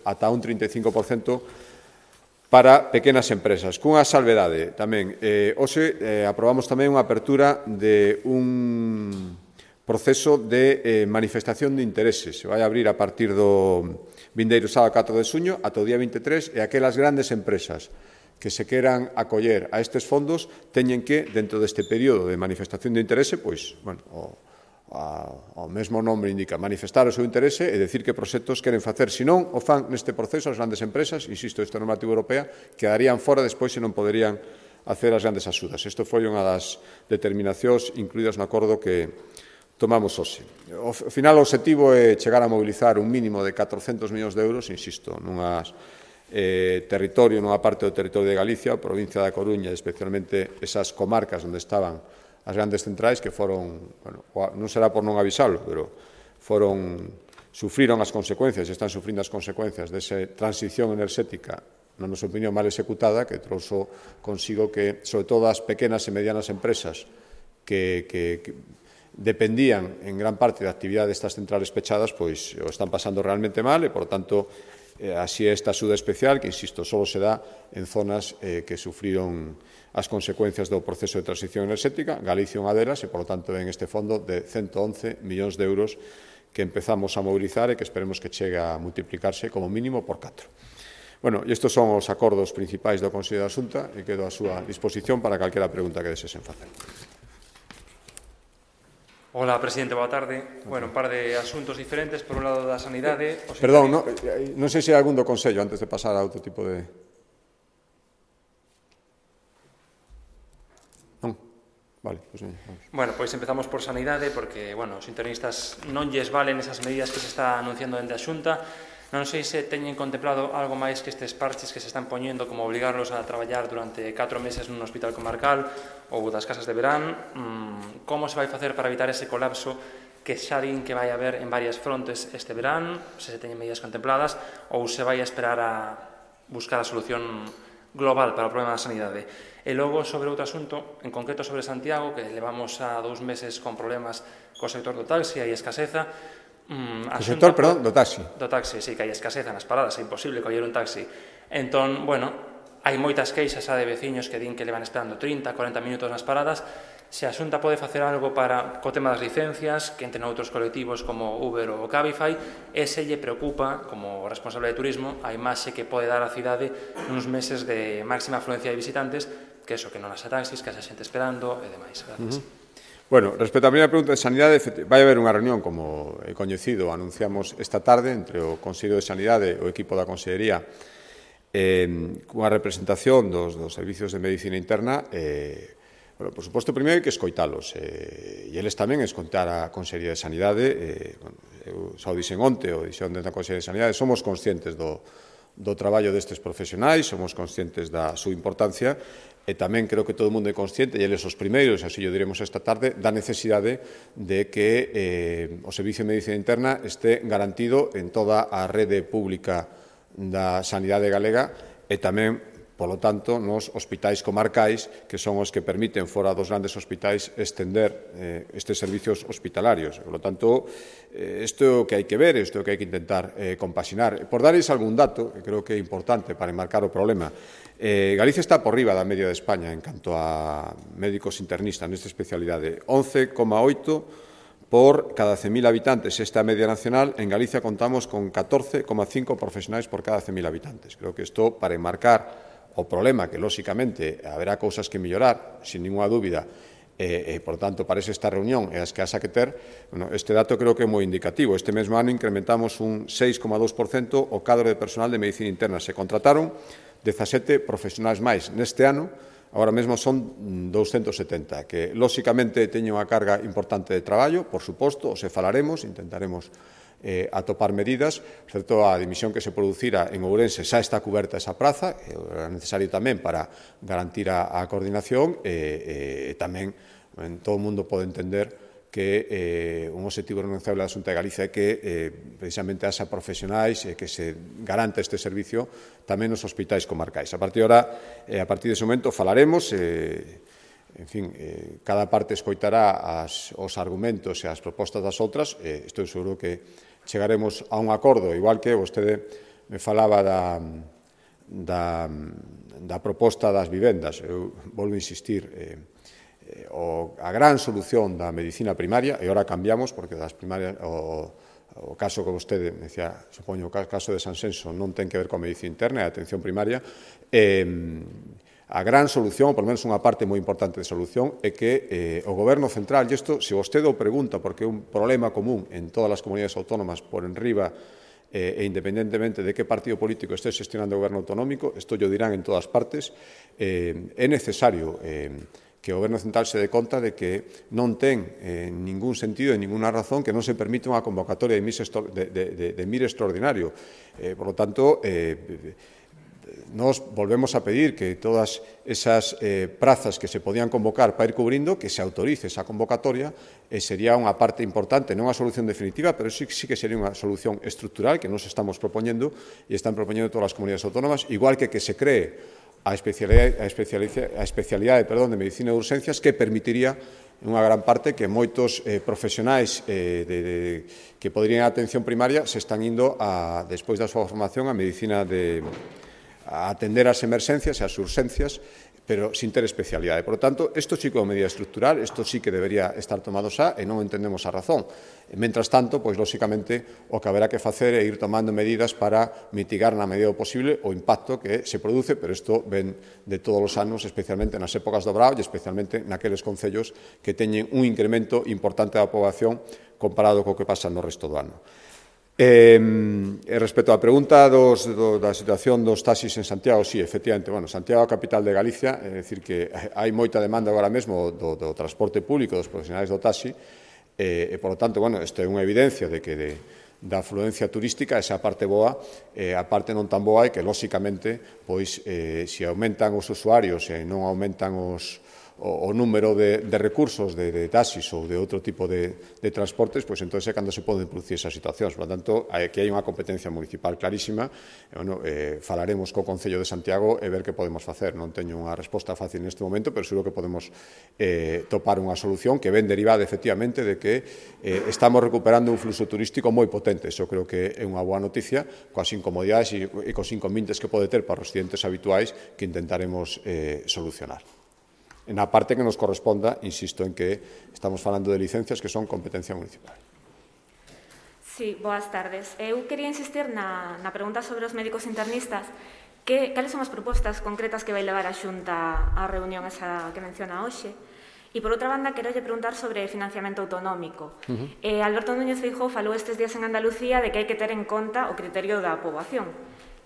ata un 35% para pequenas empresas. Cunha salvedade tamén. Hoxe aprobamos tamén unha apertura de un proceso de manifestación de intereses. Se vai abrir a partir do vindeiro sábado 4 de xuño ata o día 23 e aquelas grandes empresas que se queran acoller a estes fondos teñen que, dentro deste período de manifestación de interese, pois, ao mesmo nome indica, manifestar o seu interese e decir que proxectos queren facer. Se non o fan neste proceso as grandes empresas, insisto, esta normativa europea, quedarían fora despois se non poderían hacer as grandes axudas. Isto foi unha das determinacións incluídas no acordo que tomamos hoxe. Ao final, o objetivo é chegar a mobilizar un mínimo de 400 millóns de euros, insisto, nunha parte do territorio de Galicia, a provincia da Coruña, especialmente esas comarcas onde estaban as grandes centrais, que foron, non será por non avisalo, pero sufriron as consecuencias, están sufrindo as consecuencias desa transición enerxética, na nosa opinión, mal executada, que trouxo consigo que, sobre todo, as pequenas e medianas empresas que dependían en gran parte da actividade destas centrales pechadas, pois o están pasando realmente mal e, por tanto, así esta axuda especial, que, insisto, só se dá en zonas que sufriron as consecuencias do proceso de transición enerxética. Galicia unha delas e, por tanto, ven este fondo de 111 millóns de euros que empezamos a mobilizar e que esperemos que chegue a multiplicarse como mínimo por 4. Bueno, e estes son os acordos principais do Consello da Xunta e quedo a súa disposición para calquera pregunta que desesen facer. Hola, presidente, boa tarde. Bueno, un par de asuntos diferentes. Por un lado, da sanidade... Perdón, non sei se hai algún do Consello antes de pasar a outro tipo de... Non? Vale, pois vamos. Bueno, pois empezamos por sanidade, porque, bueno, os internistas non lles valen esas medidas que se está anunciando dende a Xunta. Non sei se teñen contemplado algo máis que estes parches que se están poñendo, como obligarlos a traballar durante 4 meses nun hospital comarcal ou das casas de verán. Como se vai facer para evitar ese colapso que xa din que vai haber en varias frontes este verán, se teñen medidas contempladas, ou se vai a esperar a buscar a solución global para o problema da sanidade. E logo, sobre outro asunto, en concreto sobre Santiago, que levamos a 2 meses con problemas co sector do taxi, hai escaseza. O sector, perdón, do taxi. Do taxi, sí, que hai escaseza nas paradas, é imposible coller un taxi. Entón, bueno, hai moitas queixas de veciños que din que levan esperando 30, 40 minutos nas paradas. Se a Xunta pode facer algo para co tema das licencias, que entren outros colectivos como Uber ou Cabify, e se lle preocupa, como responsable de turismo, a imaxe que pode dar a cidade nuns meses de máxima afluencia de visitantes, que eso, que non haxa taxis, que haxa xente esperando e demais. Gracias. Bueno, respecto á primeira pregunta de sanidade, vai haber unha reunión, como é coñecido, anunciamos esta tarde, entre o Consello de Sanidade e o equipo da Consellería, cunha representación dos servicios de medicina interna. Bueno, por suposto, primeiro hai que escoitalos, e eles tamén escoitar a Consellería de Sanidade. Eu xa o dixen onte, o dixen da Consellería de Sanidade, somos conscientes do traballo destes profesionais, somos conscientes da súa importancia, e tamén creo que todo o mundo é consciente, e eles os primeiros, así o diremos esta tarde, da necesidade de que o Servicio de Medicina Interna este garantido en toda a rede pública da sanidade galega e tamén, polo tanto, nos hospitais comarcais, que son os que permiten, fora dos grandes hospitais, estender estes servicios hospitalarios. Por lo tanto, isto é o que hai que ver, isto é o que hai que intentar compaxinar. Por darles algún dato, que creo que é importante para enmarcar o problema, Galicia está por riba da media de España en canto a médicos internistas nesta especialidade. 11,8 por cada 100.000 habitantes. Esta media nacional, en Galicia contamos con 14,5 profesionais por cada 100.000 habitantes. Creo que isto, para enmarcar o problema, que, lóxicamente, haberá cousas que mellorar, sin ninguna dúbida, por tanto, parece esta reunión e as que haxa que ter, bueno, este dato creo que é moi indicativo. Este mesmo ano incrementamos un 6,2% o cadro de personal de medicina interna. Se contrataron 17 profesionais máis. Neste ano, agora mesmo son 270, que, lóxicamente, teñen unha carga importante de traballo, por suposto, se falaremos, intentaremos atopar medidas. Certo, a dimisión que se producira en Ourense xa está cuberta esa praza, é necesario tamén para garantir a coordinación, e tamén todo o mundo pode entender que un objetivo renunciable da Xunta de Galicia é que precisamente haxa profesionais e que se garanta este servicio tamén nos hospitais comarcais. A partir dese momento falaremos, en fin, cada parte escoitará os argumentos e as propostas das outras, e estou seguro que chegaremos a un acordo, igual que vostede me falaba da proposta das vivendas. Eu volvo a insistir, a gran solución da medicina primaria, e agora cambiamos, porque das primarias, o caso que vostede me decía, supoño, o caso de Sanxenxo non ten que ver coa medicina interna e a atención primaria, A gran solución, ou por menos unha parte moi importante de solución, é que o Goberno central, e isto, se vostede o pregunta, porque é un problema común en todas as comunidades autónomas por enriba, e independentemente de que partido político este xestionando o goberno autonómico, isto yo dirán en todas partes, é necesario que o Goberno central se dé conta de que non ten ningún sentido e ninguna razón que non se permite unha convocatoria de MIR extraordinario. Por lo tanto, nos volvemos a pedir que todas esas prazas que se podían convocar para ir cubrindo, que se autorice esa convocatoria, sería unha parte importante, non unha solución definitiva, pero sí que sería unha solución estructural que nos estamos propoñendo e están propoñendo todas as comunidades autónomas, igual que se cree a especialidade de medicina de urxencias, que permitiría en unha gran parte que moitos profesionais que poderían a atención primaria se están indo, despois da súa formación, a medicina a atender as emerxencias e as urxencias, pero sin ter especialidade. Por lo tanto, isto sí que é unha medida estructural, isto sí que debería estar tomado xa e non entendemos a razón. Mentras tanto, pois, lóxicamente, o que haberá que facer é ir tomando medidas para mitigar na medida do posible o impacto que se produce, pero isto ven de todos os anos, especialmente nas épocas do brao e especialmente naqueles concellos que teñen un incremento importante da poboación comparado co que pasa no resto do ano. Respecto á pregunta da situación dos taxis en Santiago, sí, efectivamente, Santiago é a capital de Galicia, é dicir que hai moita demanda agora mesmo do transporte público dos profesionais do taxi, e, por lo tanto, isto é unha evidencia de que da afluencia turística, esa parte boa, a parte non tan boa é que, lóxicamente, pois, se aumentan os usuarios e non aumentan o número de recursos de taxis ou de outro tipo de transportes, pois entón é cando se poden producir esas situacións. Por lo tanto, aquí hai unha competencia municipal clarísima. Falaremos co Concello de Santiago e ver que podemos facer. Non teño unha resposta fácil neste momento, pero seguro que podemos topar unha solución que ven derivada, efectivamente, de que estamos recuperando un fluxo turístico moi potente. Iso creo que é unha boa noticia, coas incomodidades e cos inconvenientes que pode ter para os residentes habituais que intentaremos solucionar. Na parte que nos corresponda, insisto en que estamos falando de licencias que son competencia municipal. Sí, boas tardes. Eu quería insistir na pregunta sobre os médicos internistas. Cales son as propostas concretas que vai levar a Xunta á reunión esa que menciona hoxe? E, por outra banda, quero preguntar sobre financiamento autonómico. Alberto Núñez Feijóo falou estes días en Andalucía de que hai que ter en conta o criterio da poboación.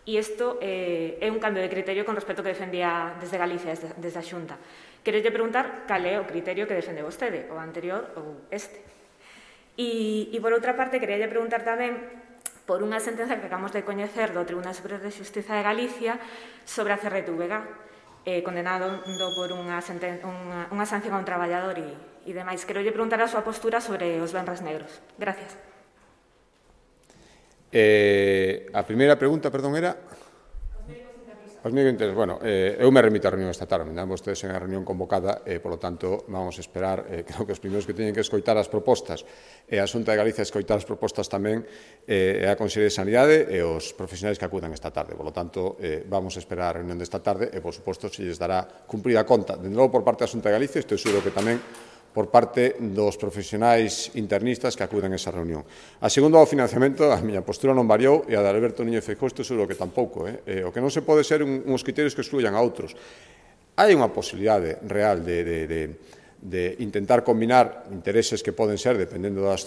E isto é un cambio de criterio con respecto ao que defendía desde Galicia, desde a Xunta. Quero preguntar cal é o criterio que defende vostede, o anterior ou este. E por outra parte, quería preguntar tamén por unha sentenza que acabamos de coñecer do Tribunal Superior de Xustiza de Galicia sobre a CRTVG, condenado por unha sanción a un traballador e demais. Quero preguntar a súa postura sobre os venres negros. Gracias. A primeira pregunta, perdón, era... Os médicos internos. Bueno, eu me remito a reunión esta tarde, me dan vostedes en a reunión convocada, por lo tanto, vamos a esperar, creo que os primeiros que teñen que escoitar as propostas e a Xunta de Galicia escoitar as propostas tamén é a Consellería de Sanidade e os profesionais que acudan esta tarde. Por lo tanto, vamos a esperar a reunión desta tarde e, por suposto, se lles dará cumprida conta, de novo por parte da Xunta de Galicia, estou seguro que tamén por parte dos profesionais internistas que acuden a esa reunión. A segundo, ao financiamento, a miña postura non variou e a de Alberto Núñez Feijóo, isto seguro que tampouco. O que non se pode ser uns criterios que excluyan a outros. Hai unha posibilidade real de intentar combinar intereses que poden ser, dependendo das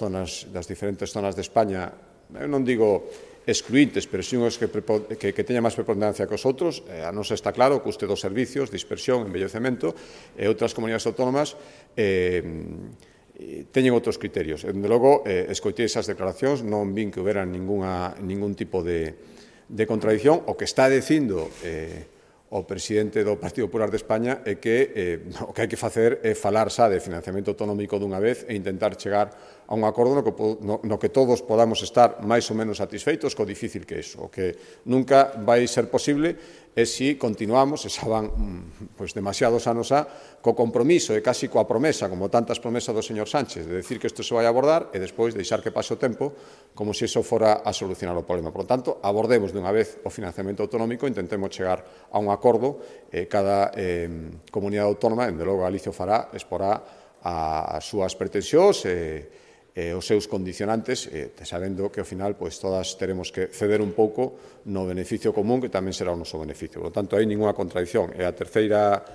diferentes zonas de España, eu non digo excluintes, pero si unhos que teñan máis preponderancia que os outros. A nosa está claro, custe dos servicios, dispersión, envellecemento, e outras comunidades autónomas teñen outros criterios. Dende logo, escoitei esas declaracións, non vin que houbera ningún tipo de contradición. O que está dicindo o presidente do Partido Popular de España é que o que hai que facer é falar xa de financiamento autonómico dunha vez e intentar chegar a un acordo no que todos podamos estar máis ou menos satisfeitos co difícil que é iso. O que nunca vai ser posible é se continuamos, e xa van demasiados anos co compromiso e casi coa promesa, como tantas promesas do señor Sánchez, de decir que isto se vai abordar e despois deixar que pase o tempo como se iso fora a solucionar o problema. Por lo tanto, abordemos dunha vez o financiamento autonómico, intentemos chegar a un acordo, cada comunidade autónoma, dende logo Galicia o fará, exporá as súas pretensións e os seus condicionantes, sabendo que ao final todas teremos que ceder un pouco no beneficio común, que tamén será o noso beneficio. Por lo tanto, hai ninguna contradición. E a terceira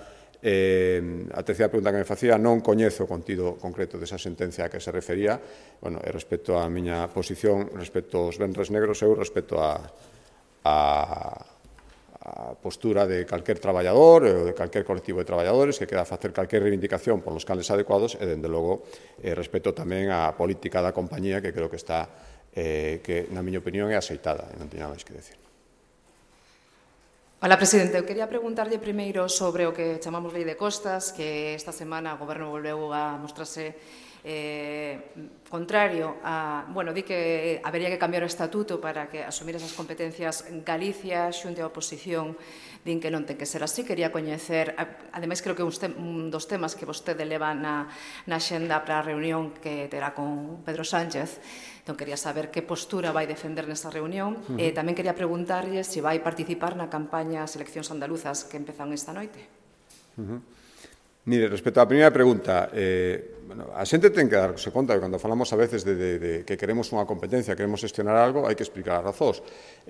pregunta que me facía, non coñezo o contido concreto desa sentencia a que se refería. Bueno, respecto á miña posición, respecto aos venres negros, eu respecto a postura de calquer traballador ou de calquer colectivo de traballadores que queda facer calquer reivindicación por los canles adecuados e, dende logo, respecto tamén á política da compañía que creo que está, que na miña opinión é aceitada e non teño máis que decir. Hola, presidente. Eu quería preguntarlle primeiro sobre o que chamamos Lei de Costas, que esta semana o Goberno volveu a mostrarse contrario a, bueno, di que habería que cambiar o estatuto para que asumir esas competencias Galicia xunto á oposición, din que non ten que ser así. Quería coñecer, ademais creo que un dos temas que vostede leva na xenda para a reunión que terá con Pedro Sánchez, entón quería saber que postura vai defender nesa reunión. Tamén quería preguntarlle se vai participar na campaña As eleccións andaluzas que empezan esta noite. Mire, respecto á primeira pregunta, a xente ten que darse conta que cando falamos a veces de que queremos unha competencia, queremos gestionar algo, hai que explicar as razóns.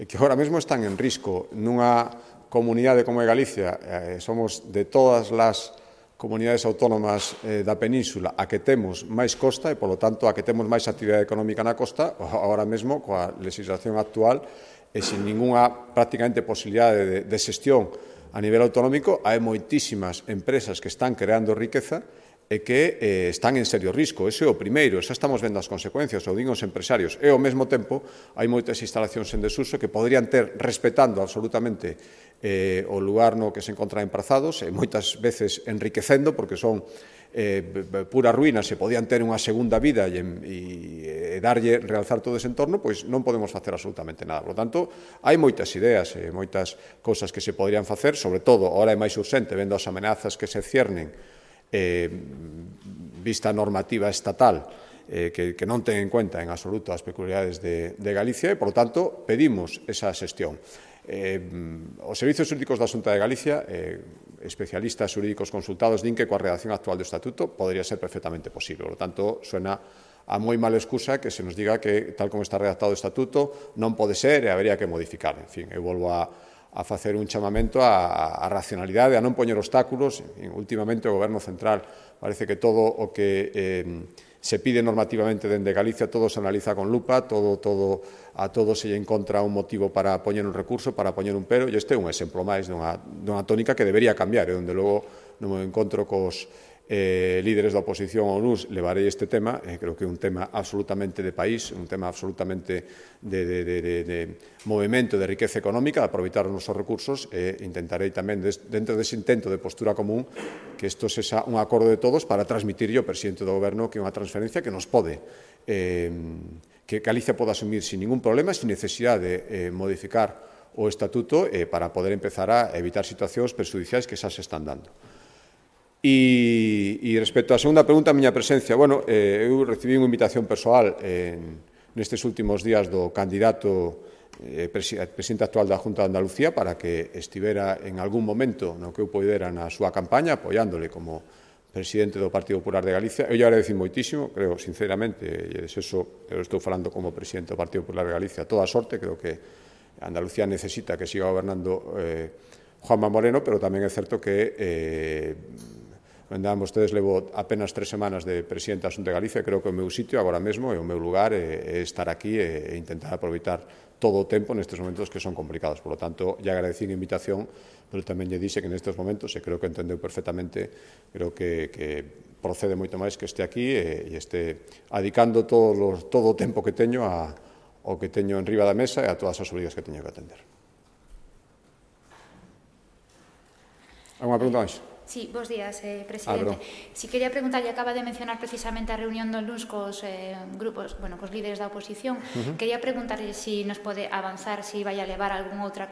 Que agora mesmo están en risco nunha comunidade como é Galicia, somos de todas as comunidades autónomas da península a que temos máis costa e, polo tanto, a que temos máis actividade económica na costa, agora mesmo, coa legislación actual, e sin ninguna prácticamente posibilidade de xestión a nivel autonómico, hai moitísimas empresas que están creando riqueza e que están en serio risco. Ese é o primeiro, xa estamos vendo as consecuencias, o din os empresarios. E, ao mesmo tempo, hai moitas instalacións en desuso que podrían ter, respetando absolutamente o lugar no que se encontran emprazados, e moitas veces enriquecendo, porque son pura ruína, se podían ter unha segunda vida e darlle, realzar todo ese entorno, pois non podemos facer absolutamente nada. Por lo tanto, hai moitas ideas e moitas cousas que se podrían facer, sobre todo, ahora é máis urxente, vendo as amenazas que se ciernen vista a normativa estatal, que non ten en cuenta en absoluto as peculiaridades de Galicia e, por lo tanto, pedimos esa xestión. Os servizos xurídicos da Xunta de Galicia, especialistas xurídicos consultados, din que coa redacción actual do Estatuto podría ser perfectamente posible. Por lo tanto, suena a moi mala excusa que se nos diga que, tal como está redactado o Estatuto, non pode ser e habería que modificar. En fin, eu volvo a facer un chamamento a racionalidade, a non poñer obstáculos. Últimamente, o Goberno Central parece que todo o que se pide normativamente dende Galicia, todo se analiza con lupa, a todo se lle encontra un motivo para poñer un recurso, para poñer un pero, e este é un exemplo máis dunha tónica que debería cambiar, e onde logo no meu encontro cos líderes da oposición ao NUS levarei este tema, creo que é un tema absolutamente de país, un tema absolutamente de movimento de riqueza económica, de aproveitar os nosos recursos, e intentarei tamén, dentro dese intento de postura común, que isto sexa un acordo de todos para transmitirlle ao presidente do Goberno que é unha transferencia que nos pode, que Galicia poda asumir sin ningún problema, sin necesidade de modificar o estatuto para poder empezar a evitar situacións perxudiciais que xa se están dando. E respecto á segunda pregunta, a miña presencia, bueno, eu recibí unha invitación persoal nestes últimos días do candidato presidente actual da Xunta de Andalucía para que estivera en algún momento no que eu poidera na súa campaña, apoiándole como presidente do Partido Popular de Galicia. Eu lle agradecí moitísimo, creo sinceramente, e eso eu estou falando como presidente do Partido Popular de Galicia, toda a sorte, creo que Andalucía necesita que siga gobernando Juanma Moreno, pero tamén é certo que vostedes levo apenas 3 semanas de presidente da Xunta de Galicia, creo que o meu sitio agora mesmo e o meu lugar é estar aquí e intentar aproveitar todo o tempo nestes momentos que son complicados. Por lo tanto, lle agradecí a invitación, pero tamén lle dixe que nestes momentos, e creo que entendeu perfectamente, creo que procede moito máis que este aquí e este adicando todo o tempo que teño ao que teño en riba da mesa e a todas as obrigas que teño que atender. Alguna pregunta máis? Sí, bos días, presidente. Si quería preguntarlle, acaba de mencionar precisamente a reunión do LUNS cos grupos, bueno, cos líderes da oposición. Quería preguntarlle si nos pode avanzar, si vai a levar algún outro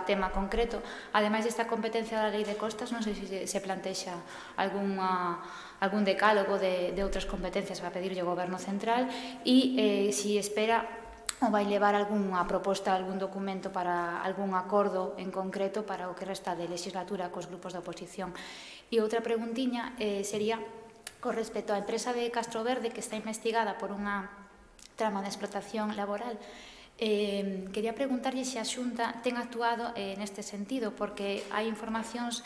tema concreto. Ademais desta competencia da Lei de Costas, non sei se se plantexa algún decálogo de outras competencias para pedirlle ao Goberno Central e si espera ou vai levar algunha proposta, algún documento para algún acordo en concreto para o que resta de legislatura cos grupos da oposición. E outra preguntiña sería Con respecto á empresa de Castro Verde, que está investigada por unha trama de explotación laboral, quería preguntarlle se a Xunta ten actuado neste sentido, porque hai informacións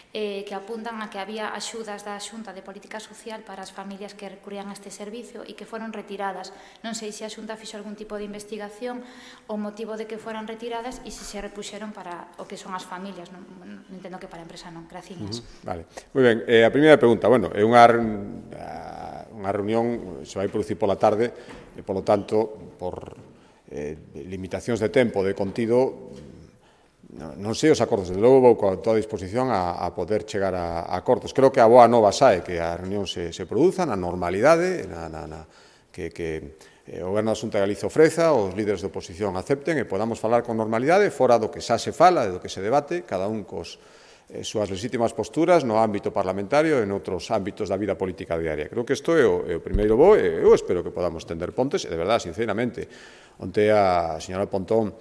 que apuntan a que había axudas da Xunta de Política Social para as familias que recurrían a este servicio e que foron retiradas. Non sei se a Xunta fixo algún tipo de investigación o motivo de que foran retiradas e se repuxeron para o que son as familias. Non entendo que para a empresa non. Graciñas. Vale. Moi ben. A primeira pregunta, bueno, é unha reunión, se vai producir pola tarde, e, polo tanto, por limitacións de tempo, de contido, non sei os acordos, de logo vou con toda a disposición a poder chegar a acordos. Creo que a boa nova sae que a reunión se produza na normalidade, que o Goberno da Xunta de Galicia ofreza, os líderes de oposición acepten e podamos falar con normalidade, fora do que xa se fala, do que se debate, cada un cos súas legítimas posturas no ámbito parlamentario e en outros ámbitos da vida política diaria. Creo que isto é o primeiro bo e eu espero que podamos tender pontes e, de verdade, sinceramente, onte a señora Pontón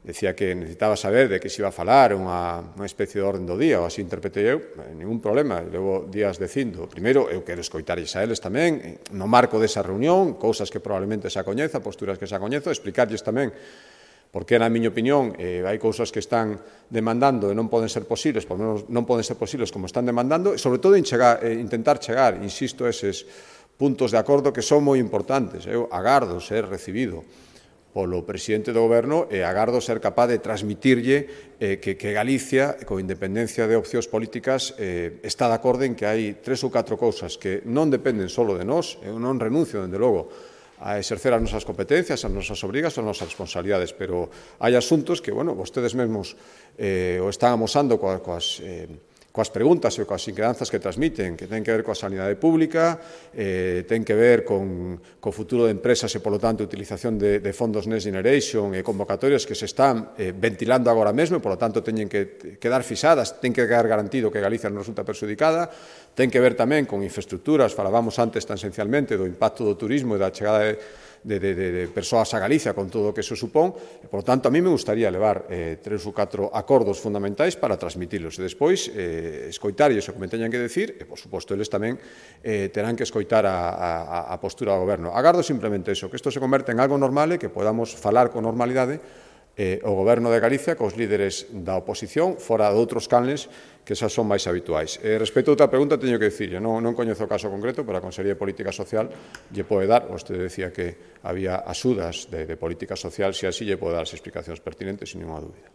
decía que necesitaba saber de que se iba a falar unha especie de orden do día, ou así interpretei eu, ningún problema, levo días dicindo. Primeiro, eu quero escoitarlles a eles tamén, no marco desa reunión, cousas que probablemente xa coñeza, posturas que xa coñezo, explicarlles tamén porque, na miña opinión, hai cousas que están demandando e non poden ser posibles, por menos non poden ser posibles como están demandando, e, sobre todo, intentar chegar, insisto, a eses puntos de acordo que son moi importantes. Eu agardo ser recibido polo presidente do Goberno e agardo ser capaz de transmitirlle que Galicia, con independencia de opcións políticas, está de acordo en que hai 3 ou 4 cousas que non dependen só de nós. Eu non renuncio, dende logo, a exercer as nosas competencias, as nosas obrigas, as nosas responsabilidades, pero hai asuntos que, bueno, vostedes mesmos o están amosando coas preguntas e coas inquedanzas que transmiten, que ten que ver coa sanidade pública, ten que ver con o futuro de empresas e, polo tanto, a utilización de fondos Next Generation e convocatorias que se están ventilando agora mesmo e, polo tanto, teñen que quedar fisadas, ten que quedar garantido que Galicia non resulta perxudicada, ten que ver tamén con infraestructuras, falábamos antes tan esencialmente do impacto do turismo e da chegada de persoas a Galicia con todo o que eso supón, e, por tanto, a mí me gustaría levar 3 ou 4 acordos fundamentais para transmitilos e despois escoitarlles o que me teñan que decir e, por suposto, eles tamén terán que escoitar a postura do Goberno. Agardo simplemente eso, que isto se converte en algo normal e que podamos falar con normalidade o Goberno de Galicia cos líderes da oposición fora de outros canles que xa son máis habituais. Respecto a outra pregunta, teño que dicirlle, non coñezo o caso concreto, pero a Consellería de Política Social lle pode dar, vostede decía que había axudas de política social, se así lle pode dar as explicacións pertinentes, sin ninguna dúbida.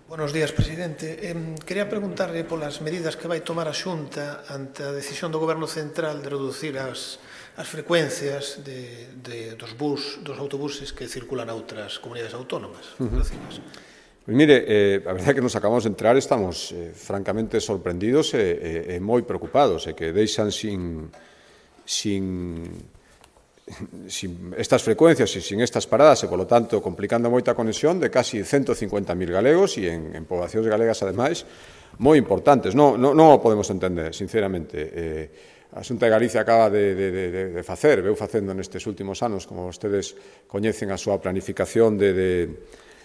Buenos días, presidente. Quería preguntarle polas medidas que vai tomar a Xunta ante a decisión do Goberno Central de reducir as frecuencias dos autobuses que circulan a outras comunidades autónomas. Gracias. Pois mire, a verdade é que nos acabamos de enterar, estamos francamente sorprendidos e moi preocupados, e que deixan sin estas frecuencias e sin estas paradas e, polo tanto, complicando moita conexión de casi 150.000 galegos e en poboacións galegas, ademais, moi importantes. Non o podemos entender, sinceramente. A Xunta de Galicia acaba de facer, veu facendo nestes últimos anos, como vostedes coñecen a súa planificación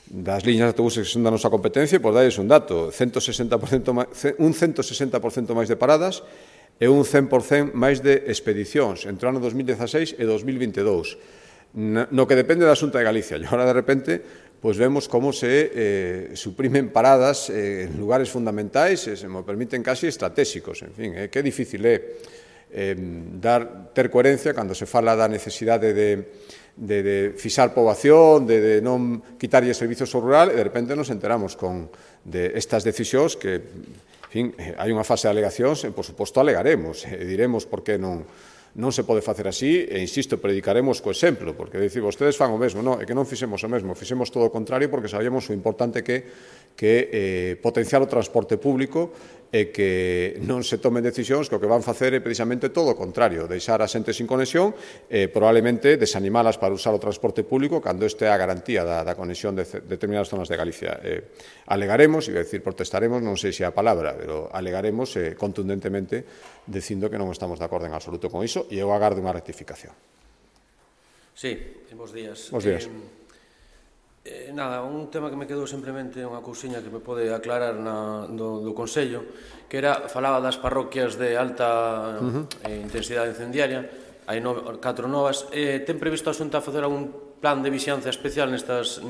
das liñas de autobuses que son da nosa competencia, pois dais un dato, un 160% máis de paradas e un 100% máis de expedicións entre o ano 2016 e 2022. No que depende da Xunta de Galicia. E agora, de repente, pois vemos como se suprimen paradas en lugares fundamentais e, se me permiten, casi estratégicos. En fin, que difícil é ter coherencia cando se fala da necesidade de fixar poboación, de non quitarlle servizos ao rural, e de repente nos enteramos de estas decisións que, en fin, hai unha fase de alegacións e, por suposto, alegaremos e diremos por que non se pode facer así e, insisto, predicaremos co exemplo, porque dicir, vostedes fan o mesmo, non, é que non fixemos o mesmo, fixemos todo o contrario porque sabíamos o importante que potenciar o transporte público e que non se tomen decisións que o que van facer é precisamente todo o contrario, deixar a xente sin conexión e probablemente desanimalas para usar o transporte público cando este é a garantía da conexión de determinadas zonas de Galicia. Alegaremos, iba a decir protestaremos, non sei se é a palabra, pero alegaremos contundentemente dicindo que non estamos de acordo en absoluto con iso e eu agardo unha rectificación. Sí, bons días. Bons días. Nada, un tema que me quedou simplemente unha cousiña que me pode aclarar do Consello, que falaba das parroquias de alta intensidade incendiaria, hai 4 novas. Ten previsto a Xunta facer algún plan de vixianza especial nestas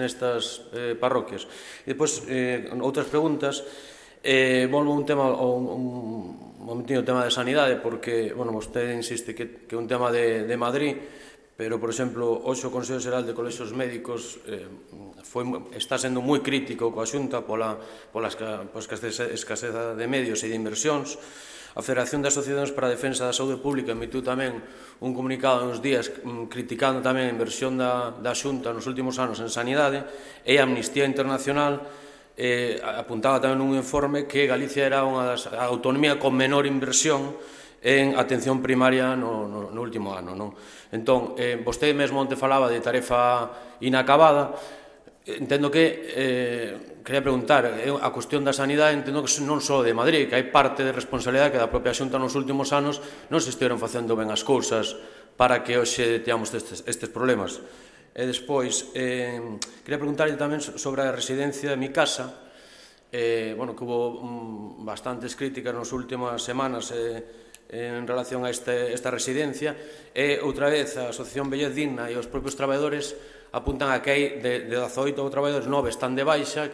parroquias? E depois, outras preguntas, volvo a un tema, un momentinho, o tema de sanidade, porque, bueno, vostede insiste que é un tema de Madrid, pero, por exemplo, hoxe o Consello Xeral de Colexios Médicos está sendo moi crítico coa Xunta pola escasez de medios e de inversións. A Federación de Asociacións para a Defensa da Saúde Pública emitiu tamén un comunicado uns días criticando tamén a inversión da Xunta nos últimos anos en sanidade, e a Amnistía Internacional apuntaba tamén nun informe que Galicia era a autonomía con menor inversión en atención primaria no último ano. Entón, vostede mesmo onte falaba de tarefa inacabada. Entendo que, quería preguntar, a cuestión da sanidade entendo que non só de Madrid, que hai parte de responsabilidade que da propia Xunta nos últimos anos non se estiveron facendo ben as cousas para que hoxe teamos estes problemas. E despois, quería preguntarlle tamén sobre a residencia de Mi Casa, que hubo bastantes críticas nas últimas semanas en relación a esta residencia, e outra vez a Asociación Vellez Digna e os propios traballadores apuntan a que hai de 18 traballadores 9 están de baixa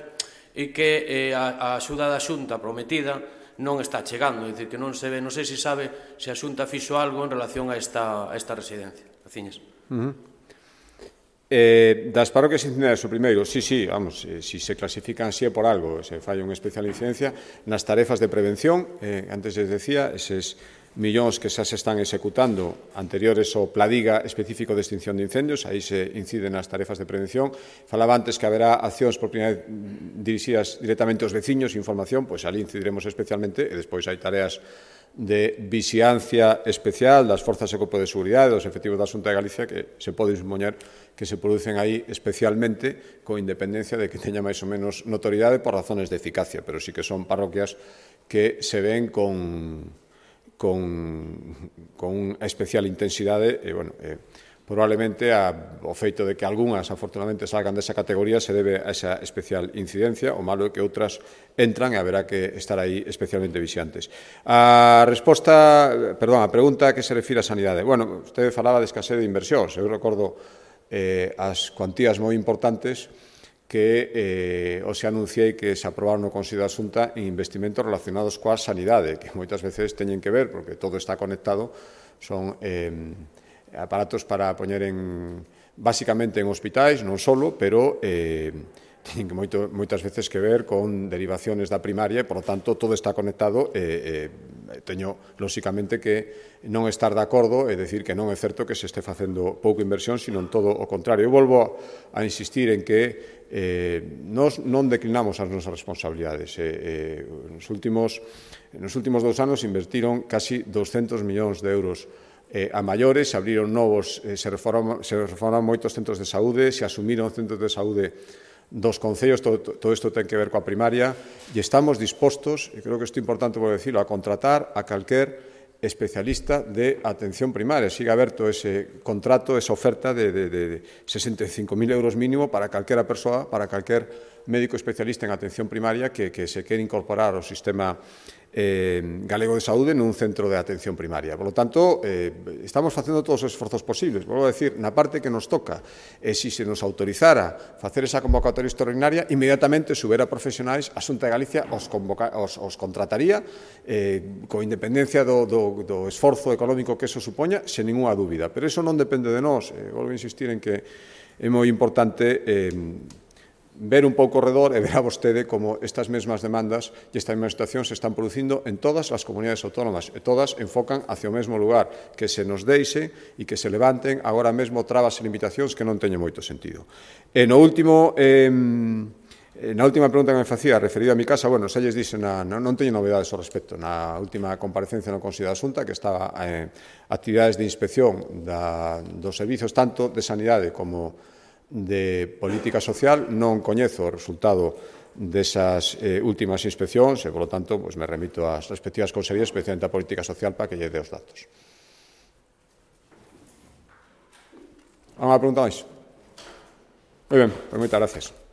e que a axuda da Xunta prometida non está chegando, é dicir, que non se ve, non sei se sabe se a Xunta fixo algo en relación a esta residencia. Graciñas. Das parroquias incendiarias, o primeiro, sí, vamos, si se clasifican así é por algo, se falla unha especial incidencia nas tarefas de prevención, antes les decía, eses millóns que xa se están executando anteriores ao Pladiga específico de extinción de incendios, aí se inciden nas tarefas de prevención. Falaba antes que haberá accións por primeira vez dirixidas directamente aos veciños, información, pois ali incidiremos especialmente, e despois hai tareas de vixiancia especial das forzas e corpo de seguridade, dos efectivos da Xunta de Galicia, que se pode supoñer que se producen aí especialmente con independencia de que teña máis ou menos notoriedade por razones de eficacia, pero sí que son parroquias que se ven con unha especial intensidade e, probablemente o feito de que algunhas, afortunadamente, salgan desa categoría se debe a esa especial incidencia, o malo é que outras entran e haberá que estar aí especialmente vixiantes. A pregunta que se refire á sanidade. Vostede falaba de escasez de inversións. Eu recordo as cuantías moi importantes que se anunciei que se aprobaron no Consello da Xunta en investimentos relacionados coa sanidade, que moitas veces teñen que ver, porque todo está conectado, son aparatos para poñer basicamente en hospitais, non solo, pero teñen moitas veces que ver con derivaciones da primaria e, por lo tanto, todo está conectado. Teño, lóxicamente, que non estar de acordo e decir que non é certo que se este facendo pouca inversión, sino en todo o contrario. Eu volvo a insistir en que nós non declinamos as nosas responsabilidades. Nos últimos 2 anos invertiron casi 200 millóns de euros a maiores, se abriron novos, se reformaron moitos centros de saúde, se asumiron centros de saúde dos concellos, todo isto ten que ver coa primaria, e estamos dispostos, e creo que isto é importante por decirlo, a contratar a calquer especialista de atención primaria. Sigue aberto ese contrato, esa oferta de 65.000 euros mínimo para calquera persoa, para calquer médico especialista en atención primaria que se quere incorporar ao sistema galego de saúde nun centro de atención primaria. Por lo tanto, estamos facendo todos os esforzos posibles. Volvo a decir, na parte que nos toca, se nos autorizara facer esa convocatoria extraordinaria, inmediatamente subera profesionais, a Xunta de Galicia os contrataría con independencia do esforzo económico que eso supoña, sen ninguna dúbida. Pero iso non depende de nós. Volvo a insistir en que é moi importante ver un pouco ao redor e ver a vostede como estas mesmas demandas e esta mesma situación se están producindo en todas as comunidades autónomas e todas enfocan hacia o mesmo lugar, que se nos deixe e que se levanten agora mesmo trabas e limitacións que non teñen moito sentido. E na última pregunta que me facía referida a Mi Casa, xa lles dixen, non teño novedades ao respecto. Na última comparecencia no Consello da Xunta, que estaba actividades de inspección dos servizos tanto de sanidade como de política social, non coñezo o resultado desas últimas inspeccións e, por lo tanto, me remito ás respectivas consellerías, especialmente a política social, para que lle dé os datos. Unha pregunta máis? Moi ben, pois moitas gracias.